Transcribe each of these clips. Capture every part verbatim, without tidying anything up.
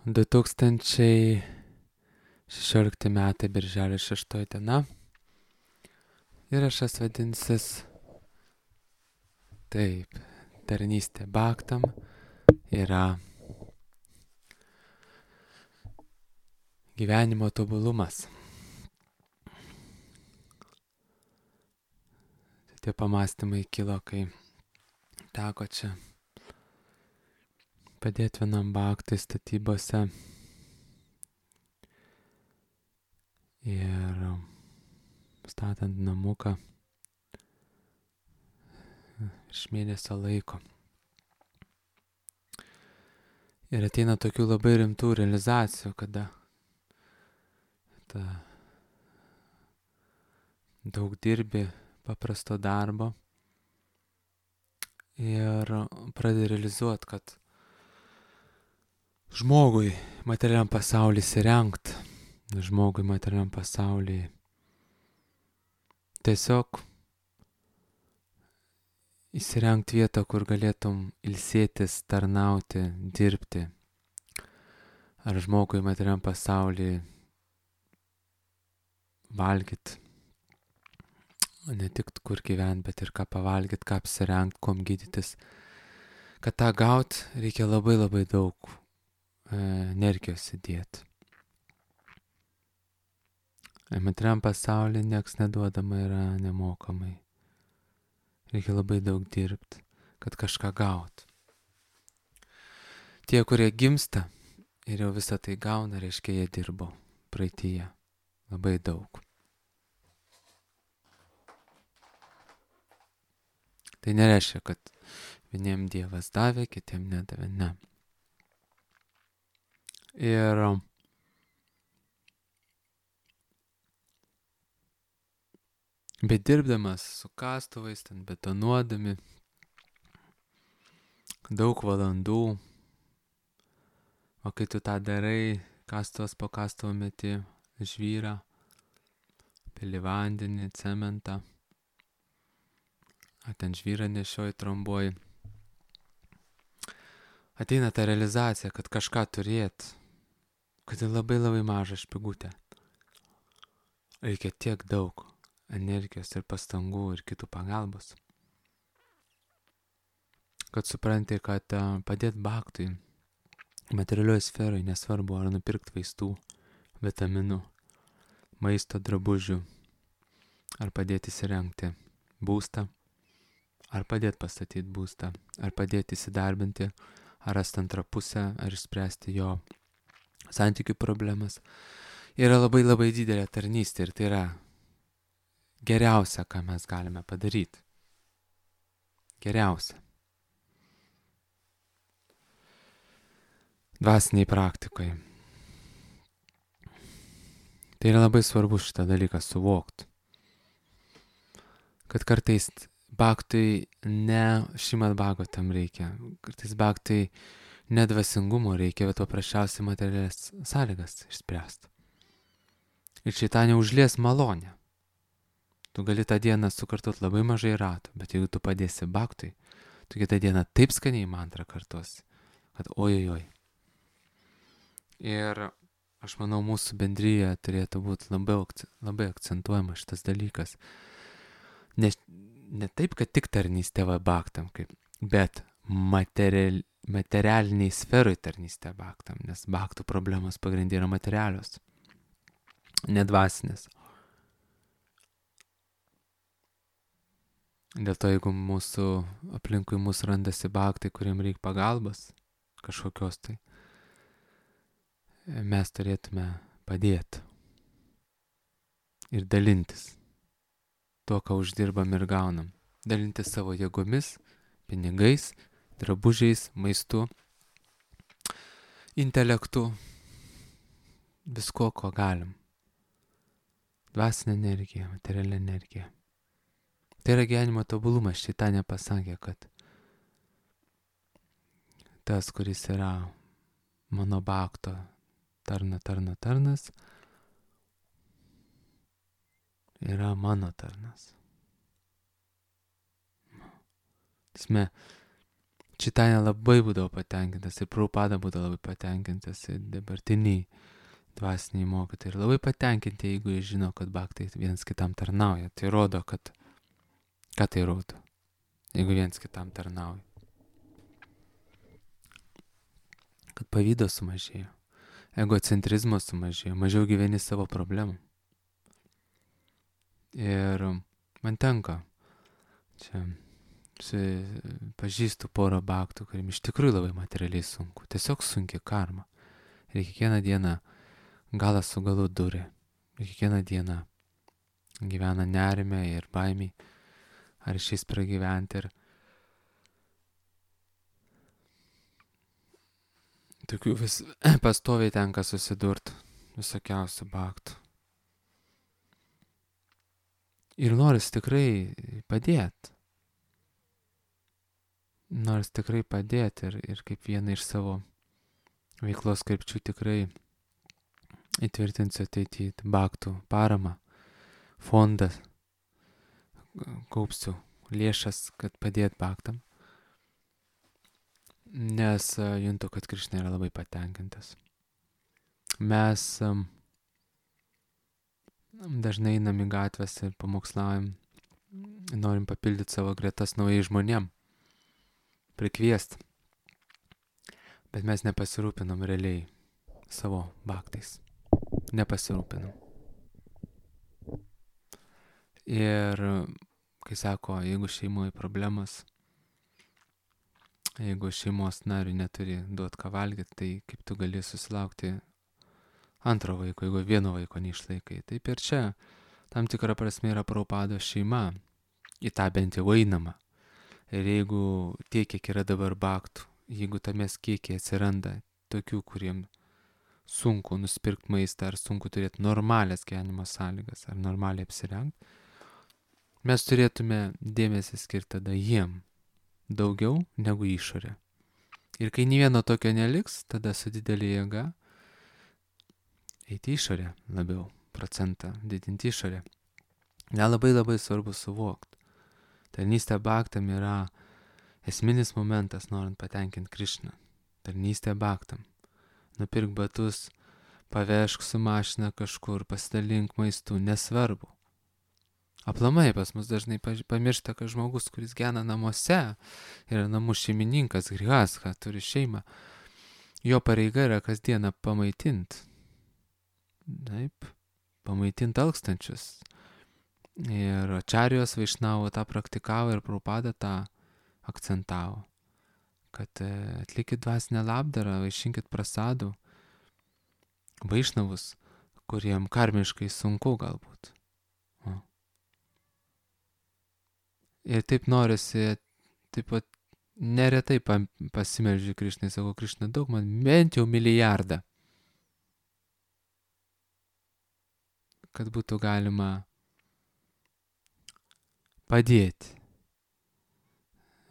du tūkstančiai šešiolikti metai, birželio šeštoji diena. Įrašas vadinsis taip, tarnystė Bhaktam yra gyvenimo tobulumas. Tie pamastymai kilo, kai teko čia padėti vienam bhaktui statybose. Ir statant namuką virš mėnesio laiko. Ir ateina tokių labai rimtų realizacijų, kada ta daug dirbi paprasto darbo ir pradedi realizuoti, kad žmogui materialiam pasauliui įsirengt, žmogui materialiam pasauliui tiesiog įsirengt vietą, kur galėtum ilsėtis, tarnauti, dirbti. Ar žmogui materialiam pasauliui valgyt, ne tik kur gyvent, bet ir ką pavalgyt, ką apsirengt, kuom gydytis. Kad tą gaut, reikia labai labai daug e, energijos įdėti. Materialiam pasauliui nieks neduodama yra nemokamai. Reikia labai daug dirbti, kad kažką gaut. Tie, kurie gimsta ir jau visą tai gauna, reiškia, jie dirbo praeityje labai daug. Tai nereiškia, kad vieniem Dievas davė, kitiem nedavė, ne. Ir bet dirbdamas su kastuvais, ten betonuodami, daug valandų, o kai tu tą darai, kastuvas po kastuvo meti žvyrą, pili vandenį, cementą, ar ten žvyrą nešioji, tromboji, ateina ta realizacija, kad kažką turėt, kad tai labai labai maža špigutė. Reikia tiek daug energijos ir pastangų ir kitų pagalbos, kad supranti, kad padėt bhaktui materialioj sferoj, nesvarbu ar nupirkt vaistų, vitaminų, maisto, drabužių, ar padėti įsirengti būstą, ar padėti pastatyti būstą, ar padėti įsidarbinti, ar rasti antrą pusę, ar išspręsti jo santykių problemas, yra labai labai didelė tarnystė ir tai yra geriausia, ką mes galime padaryti. Geriausia. Dvasiniai praktikoje. Tai yra labai svarbu šitą dalyką suvokti. Kad kartais bhaktui ne Šrimad Bhagavatam reikia. Kartais bhaktui ne dvasingumo reikia, bet paprasčiausiai materialias sąlygas išspręsti. Ir šitą neužlies malonę. Tu gali tą dieną sukartot labai mažai ratų, bet jeigu tu padėsi bhaktui, tu kitą dieną taip skaniai mantrą kartosi, kad ojojoj. Ir aš manau, mūsų bendryje turėtų būti labai, labai akcentuojama šitas dalykas. Ne, ne taip, kad tik tarnystė va bhaktam, kaip, bet material, materialiniai sferai tarnystė bhaktam, nes bhaktų problemos pagrindė yra materialios, nedvasinės. Dėl to, jeigu mūsų aplinkui mūsų randasi bhaktai, kuriem reikia pagalbos, kažkokios tai, mes turėtume padėti ir dalintis tuo, ką uždirbam ir gaunam. Dalintis savo jėgomis, pinigais, drabužiais, maistu, intelektu, visko, ko galim. Dvasinė energija, materialinė energija. Tai yra gyvenimo tobulumas. Šitą nepasakė, kad tas, kuris yra mano bhakto tarna, tarna, tarnas, yra mano tarnas. Tasme, Čitainė labai būdavo patenkintas ir Prabhupada būdavo labai patenkintas ir dabartiniai dvasiniai mokytojai. Ir labai patenkinti, jeigu jie žino, kad bhaktai vienas kitam tarnauja. Tai rodo, kad... Ką tai rodo? Jeigu vienas kitam tarnauja. Kad pavydo sumažėjo. Egocentrizmo sumažėjo. Mažiau gyveni savo problemų. Ir man tenka čia... pažįstu porą bhaktų, kuriam iš tikrųjų labai materialiai sunku. Tiesiog sunki karma. Ir kiekvieną dieną galą su galu durė. Ir kiekvieną dieną gyvena nerime ir baimiai. Ar išeis pragyventi. Ir tokių vis pastoviai tenka susidurti visokiausių bhaktų. Ir noris tikrai padėti. Nors tikrai padėti ir, ir kaip vieną iš savo veiklos krypčių tikrai įtvirtinsiu ateityje bhaktų paramą, fondą, kaupsiu lėšas, kad padėt bhaktam, nes uh, juntu, kad Krišna yra labai patenkintas. Mes um, dažnai einam į gatves ir pamokslaujam, norim papildyti savo gretas naujai žmonėm, prikviest. Bet mes nepasirūpinam realiai savo bhaktais. Nepasirūpinam. Ir kai sako, jeigu šeimoje problemas, jeigu šeimos nariui neturi duot ką valgyti, tai kaip tu gali susilaukti antro vaiko, jeigu vieno vaiko neišlaikai. Taip ir čia tam tikra prasme yra Prabhupados šeima, į tą bent jau einama. Ir jeigu tiek, kiek yra dabar bhaktų, jeigu tame kiekiai atsiranda tokių, kuriem sunku nusipirkti maistą, ar sunku turėti normalias gyvenimo sąlygas, ar normaliai apsirengti, mes turėtume dėmesį skirti tada jiem daugiau negu išorė. Ir kai nė vieno tokio neliks, tada su didelė jėga eiti išorę labiau, procentą didinti išorę. Ne labai labai svarbu suvokti. Tarnystė bhaktam yra esminis momentas, norint patenkinti Krišną. Tarnystė bhaktam. Nupirk batus, pavežk su mašina kažkur, pasidalink maistu, nesvarbu. Aplamai pas mus dažnai pamiršta, kad žmogus, kuris gyvena namuose, yra namų šeimininkas, grihastha, turi šeimą. Jo pareiga yra kasdieną pamaitinti. Taip, pamaitinti alkstančius. Ir Ačarijos Vaišnavo tą praktikavo ir Prabhupada tą akcentavo, kad atlikit dvasinę labdarą, vaišinkit prasadų Vaišnavus, kuriem karmiškai sunku galbūt. O. Ir taip norisi, taip pat neretai pasimeldžiu Krišnai, sako, Krišna, daug man bent jau milijardą, kad būtų galima padėti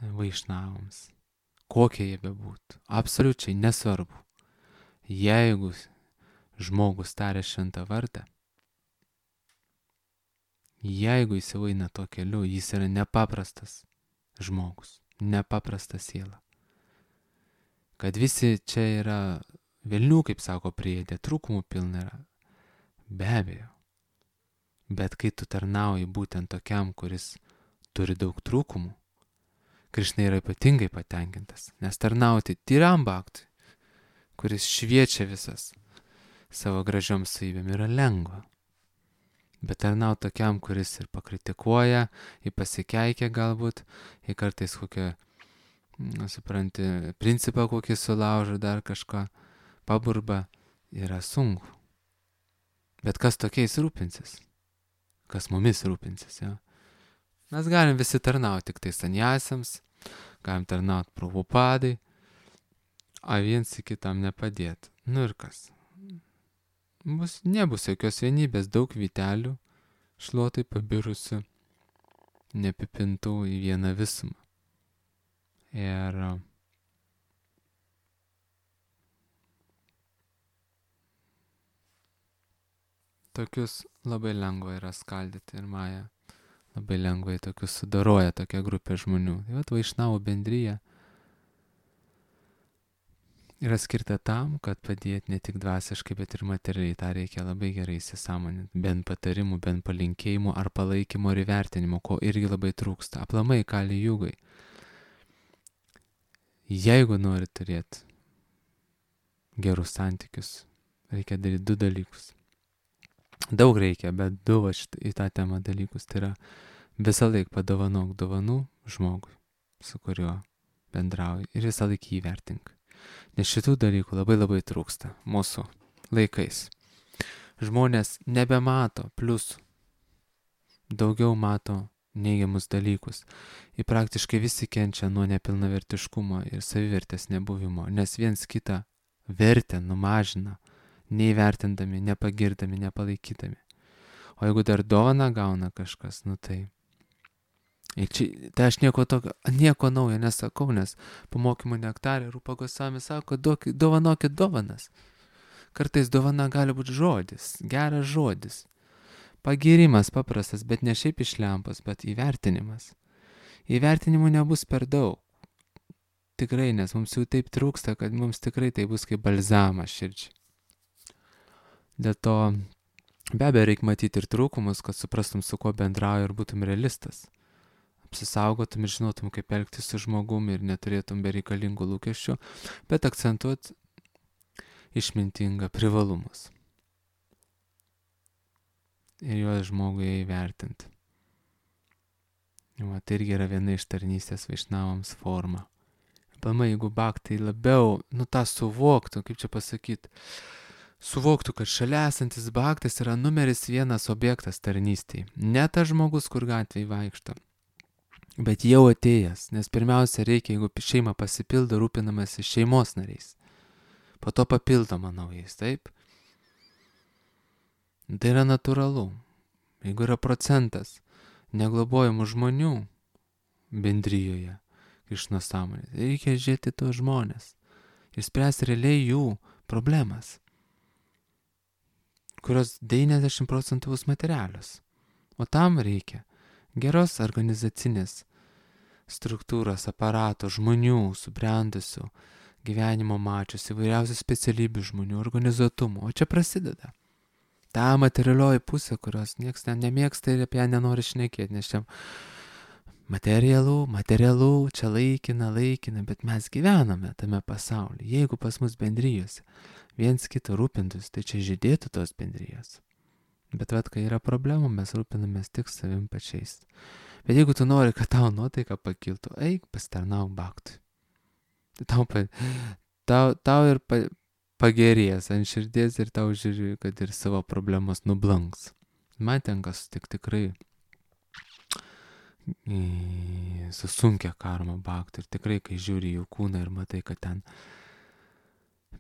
Vaišnavams, kokie jie bebūtų, absoliučiai nesvarbu. Jeigu žmogus taria šventą vardą, jeigu jis jau eina to keliu, jis yra nepaprastas žmogus, nepaprasta siela. Kad visi čia yra velnių, kaip sako, priėdė, trūkumų pilna yra, be abejo. Bet kai tu tarnauji būtent tokiam, kuris turi daug trūkumų, Krišna yra ypatingai patenkintas, nes tarnauti tyram bhaktui, kuris šviečia visas savo gražiom savybėm, yra lengva. Bet tarnauti tokiam, kuris ir pakritikuoja, į pasikeikia galbūt, į kartais kokią, supranti, principą kokį sulaužo, dar kažką paburba, yra sunku. Bet kas tokiais rūpinsis? Kas mumis rūpinsis, jo? Mes galim visi tarnauti tik tai sanjasiams, galim tarnauti Prabhupadai, o viens į kitam nepadėti. Nu ir kas? Bus, nebus jokios vienybės, daug vytelių, šluotai pabirusių, nepipintų į vieną visumą. Ir tokius labai lengva yra skaldyti ir Maja. Labai lengvai tokius sudaroja tokia grupė žmonių. Tai vat Vaišnavų bendryja yra skirta tam, kad padėti ne tik dvasiškai, bet ir materialiai. Ta reikia labai gerai įsisąmoninti. Bent patarimų, bent palinkėjimų ar palaikymo ir įvertinimo, ko irgi labai trūksta. Aplamai kali jūgai. Jeigu nori turėti gerus santykius, reikia daryti du dalykus. Daug reikia, bet du va šit, į tą temą dalykus. Tai yra visą laiką padovanok dovanų žmogui, su kuriuo bendrauji, ir visą laiką įvertink. Nes šitų dalykų labai labai trūksta mūsų laikais. Žmonės nebemato pliusų, daugiau mato neigiamus dalykus. Ir praktiškai visi kenčia nuo nepilnavertiškumo ir savivertės nebuvimo, nes viens kitą vertę numažina, neįvertindami, nepagirdami, nepalaikydami. O jeigu dar dovaną gauna kažkas, nu tai... Ir čia, tai aš nieko tokio, nieko naujo nesakau, nes po mokymų nektarė Rupa Gosvami sako, duokit, dovanokit dovanas. Kartais dovana gali būti žodis, geras žodis. Pagirimas paprastas, bet ne šiaip iš lempos, bet įvertinimas. Įvertinimų nebus per daug. Tikrai, nes mums jau taip trūksta, kad mums tikrai tai bus kaip balzamas širdžiai. Dėl to be abejo reikia matyti ir trūkumus, kad suprastum, su kuo bendrauji ir būtum realistas. Apsisaugotum ir žinotum, kaip elgtis su žmogumi ir neturėtum bereikalingų lūkesčių, bet akcentuot išmintingą privalumus. Ir juos žmogui įvertinti. Va, tai irgi yra viena iš tarnystės vaišnavams forma. Pamai, jeigu bhaktai labiau, nu tą suvoktų, kaip čia pasakyti, suvoktų, kad šalia esantis bhaktas yra numeris vienas objektas tarnystėje. Ne tas žmogus, kur gatvėje vaikšto, bet jau atėjęs, nes pirmiausia reikia, jeigu šeima pasipildo, rūpinamasi šeimos nariais. Po to papildoma naujais, taip? Tai yra natūralu. Jeigu yra procentas neglobojamų žmonių bendrijoje iš nesąmonės, reikia žiūrėti tos žmonės ir spręsti realiai jų problemas, kurios devyniasdešimt procentų bus materialios. O tam reikia geros organizacinės struktūros, aparato, žmonių, subrendusių, gyvenimo mačiusių, įvairiausių specialybių žmonių, organizuotumų. O čia prasideda. Ta materialioji pusė, kurios nieks ne, nemėgsta ir apie ją nenori šnekėti, nes čia materialų, materialų, čia laikina, laikina, bet mes gyvename tame pasaulyje. Jeigu pas mus bendrijose viens kitą rūpintus, tai čia žydėtų tos bendrijos. Bet vat, kai yra problemų, mes rūpinamės tik savim pačiais. Bet jeigu tu nori, kad tau nuotaika pakiltų, eik pasitarnauk bhaktui. Tau, tau, tau ir pa, pagerės ant širdies ir tau žiūri, kad ir savo problemos nublanks. Man tenka sutikti tikrai su sunkia karma bhaktų. Ir tikrai, kai žiūri jų kūną ir matai, kad ten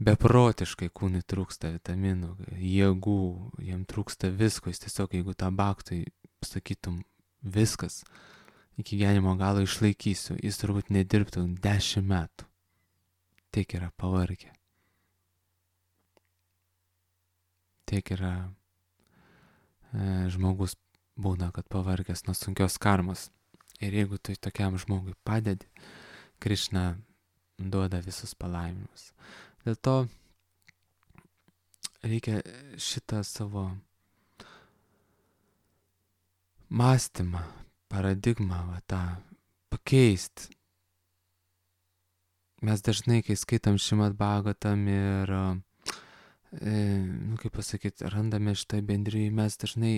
beprotiškai kūnui trūksta vitaminų, jėgų, jiem trūksta visko, jis tiesiog, jeigu tą bhaktui sakytum viskas, iki gyvenimo galo išlaikysiu, jis turbūt nedirbtų dešimt metų. Tiek yra pavargę. Tiek yra e, žmogus būna, kad pavargęs nuo sunkios karmos. Ir jeigu tu tokiam žmogui padedi, Krišna duoda visus palaiminimus. Dėl to reikia šitą savo mąstymą, paradigmą, va, tą pakeisti. Mes dažnai, kai skaitam Šrimad Bhagavatam ir, e, nu, kaip pasakyti, randame šitą bendrijį, mes dažnai,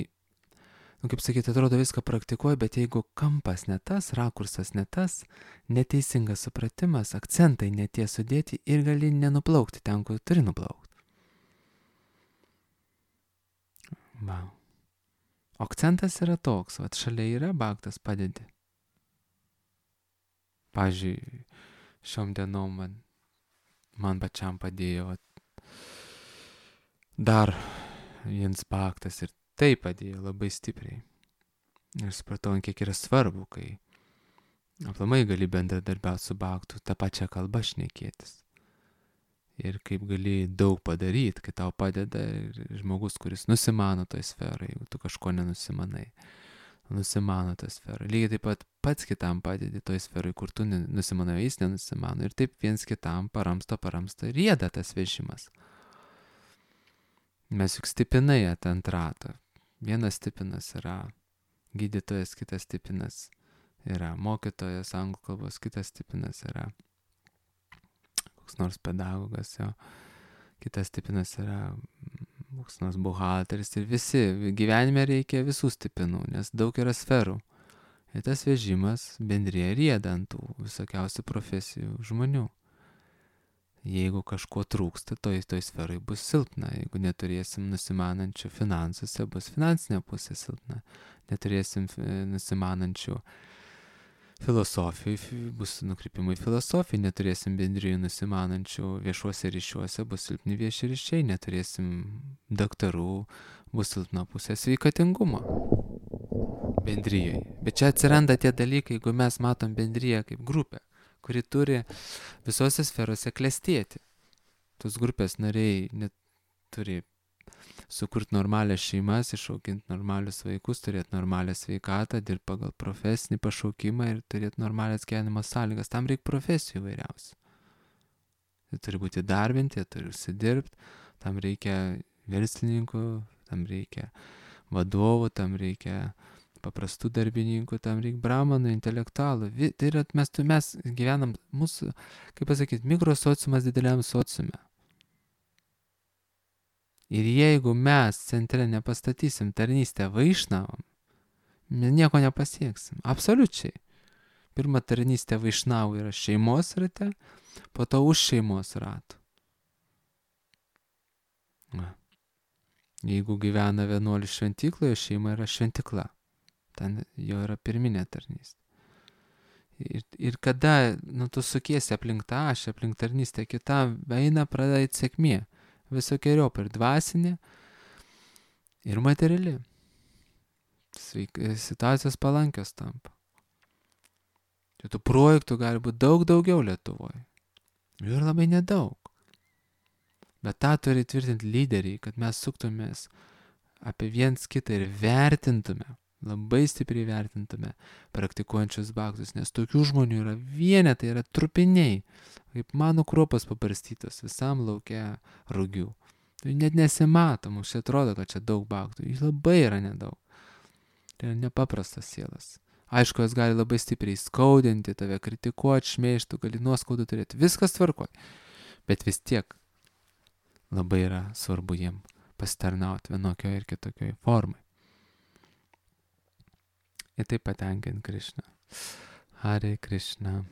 nu, kaip sakyti, atrodo viską praktikuoja, bet jeigu kampas ne tas, rakursas ne tas, neteisingas supratimas, akcentai netie sudėti ir gali nenuplaukti ten, kur turi nuplaukti. Va. O akcentas yra toks, vat šalia yra bhaktas, padedi. Pavyzdžiui, šiom dienom man, man pačiam padėjo vat, dar viens bhaktas ir tai padėjo labai stipriai. Ir supratau, kiek yra svarbu, kai aplamai gali bendradarbiauti su bhaktu, tą pačią kalbą šnekėtis. Ir kaip gali daug padaryti, kai tau padeda žmogus, kuris nusimano toj sferai, jeigu tu kažko nenusimanai. nusimano tą sferą. Lygiai taip pat pats kitam padedi toj sferai, kur tu nusimanai, jis nenusimano. Ir taip viens kitam paramsto, paramsto ir rieda tas vežimas. Mes juk stipinai ant rato. Vienas stipinas yra gydytojas, kitas stipinas yra mokytojas anglų kalbos, kitas stipinas yra koks nors pedagogas, jo. Kitas stipinas yra koks nors buhalteris ir visi. Gyvenime reikia visų stipinų, nes daug yra sferų. Ir tas vežimas bendrėje rieda ant tų visokiausių profesijų žmonių. Jeigu kažko trūksta, toj, toj sferai bus silpna. Jeigu neturėsim nusimanančių finansuose, bus finansinė pusė silpna. Neturėsim nusimanančių filosofijai, bus nukrypimai filosofijai. Neturėsim bendrijų nusimanančių viešuose ryšiuose, bus silpni vieši ryšiai. Neturėsim daktarų, bus silpna pusė sveikatingumo bendrijai. Bet čia atsiranda tie dalykai, jeigu mes matom bendriją kaip grupę, kuri turi visose sferose klestėti. Tos grupės nariai net turi sukurti normalias šeimas, išauginti normalius vaikus, turėti normalią sveikatą, dirbti pagal profesinį pašaukimą ir turėti normalias gyvenimo sąlygas. Tam reikia profesijų vairiausių. Jie turi būti darbinti, jie turi užsidirbti, tam reikia verslininkų, tam reikia vadovų, tam reikia paprastų darbininkų, tam reikia bramanų, intelektualų. Tai yra, mes, mes gyvenam mūsų, kaip pasakyti, mikrosociumas dideliam sociume. Ir jeigu mes centre nepastatysim tarnystę vaišnavam, mes nieko nepasieksim. Absoliučiai. Pirma tarnystė vaišnavų yra šeimos rate, po to už šeimos ratų. Na. Jeigu gyvena vienuolis šventykloje, šeima yra šventikla. Ten jo yra pirminė tarnystė. Ir, ir kada nu, tu sukiesi aplink tą ašį, aplink tarnystę kitam, eina pradeda sėkmė. Visokeriop ir dvasinė, ir materiali. Sveik, situacijos palankios tampa. Tai tų projektų gali būti daug daugiau Lietuvoje. Jų yra labai nedaug. Bet tą turi tvirtinti lyderiai, kad mes suktumės apie viens kitą ir vertintume, labai stipriai vertintume praktikuojančius bhaktus, nes tokių žmonių yra vienetai, yra trupiniai, kaip mano kruopas pabarstytos visam laukia rugių. Tai net nesimato, mums čia atrodo, kad čia daug bhaktų, jų labai yra nedaug. Tai yra nepaprastas sielas. Aišku, jos gali labai stipriai skaudinti, tave kritikuoti, šmeižti, gali nuoskaudų turėti, viskas tvarkoj. Bet vis tiek labai yra svarbu jiem pasitarnauti vienokioje ir kitokioje formai. Ir taip patenkint Krišną. Hare Krishna.